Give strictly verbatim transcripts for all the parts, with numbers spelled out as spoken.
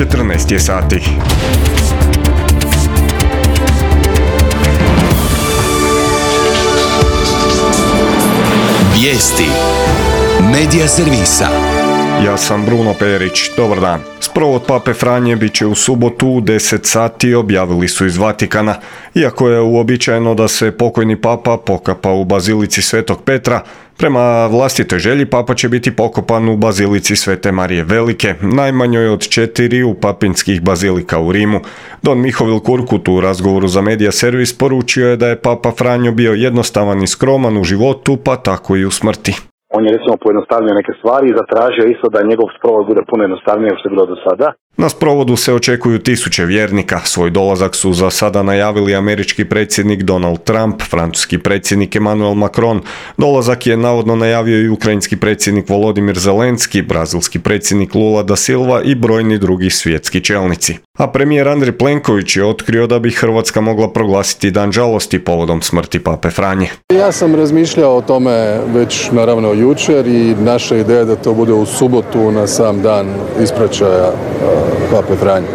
četrnaest je sati. Vijesti Medija servisa. Ja sam Bruno Perić, dobar dan. Sprovod Pape Franje bit će u subotu u deset sati, objavili su iz Vatikana. Iako je uobičajeno da se pokojni papa pokapa u bazilici Svetog Petra, prema vlastitoj želji papa će biti pokopan u bazilici Svete Marije Velike, najmanjoj od četiri u papinskih bazilika u Rimu. Don Mihovil Kurkut u razgovoru za Medija servis poručio je da je papa Franjo bio jednostavan i skroman u životu, pa tako i u smrti. On je recimo pojednostavio neke stvari i zatražio isto da njegov sprovod bude puno jednostavnije što je bilo do sada. Na sprovodu se očekuju tisuće vjernika. Svoj dolazak su za sada najavili američki predsjednik Donald Trump, francuski predsjednik Emmanuel Macron. Dolazak je navodno najavio i ukrajinski predsjednik Volodimir Zelenski, brazilski predsjednik Lula da Silva i brojni drugi svjetski čelnici. A premijer Andrej Plenković je otkrio da bi Hrvatska mogla proglasiti dan žalosti povodom smrti pape Franje. Ja sam razmišljao o tome već naravno jučer i naša ideja da to bude u subotu na sam dan ispraćaja pape Franje.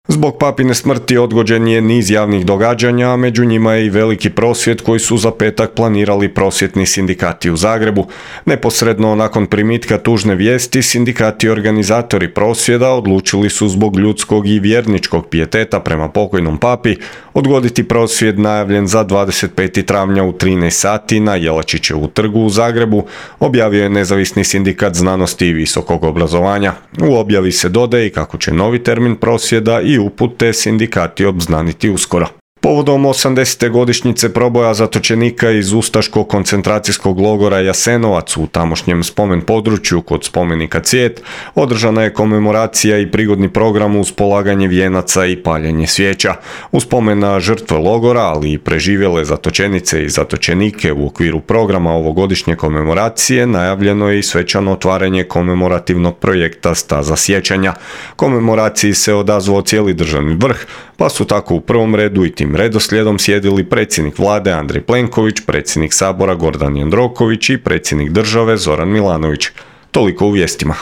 Zbog papine smrti odgođen je niz javnih događanja, a među njima je i veliki prosvjed koji su za petak planirali prosvjetni sindikati u Zagrebu. Neposredno nakon primitka tužne vijesti, sindikati i organizatori prosvjeda odlučili su zbog ljudskog i vjerničkog pijeteta prema pokojnom papi odgoditi prosvjed najavljen za dvadeset petog travnja u trinaest sati na Jelačićevu trgu u Zagrebu, objavio je Nezavisni sindikat znanosti i visokog obrazovanja. U objavi se dodaje i kako će novi termin prosvjeda i upute sindikati obznaniti uskoro. Povodom osamdesete godišnjice proboja zatočenika iz ustaškog koncentracijskog logora Jasenovac u tamošnjem spomen području kod spomenika Cvijet održana je komemoracija i prigodni program uz polaganje vijenaca i paljenje svijeća. U spomen na žrtve logora, ali i preživjele zatočenice i zatočenike u okviru programa ovogodišnje komemoracije najavljeno je i svečano otvaranje komemorativnog projekta Staza sjećanja. Komemoraciji se odazvao cijeli državni vrh, pa su tako u prvom redu i tim redoslijedom sjedili predsjednik vlade Andrej Plenković, predsjednik sabora Gordan Jandroković i predsjednik države Zoran Milanović. Toliko u vijestima.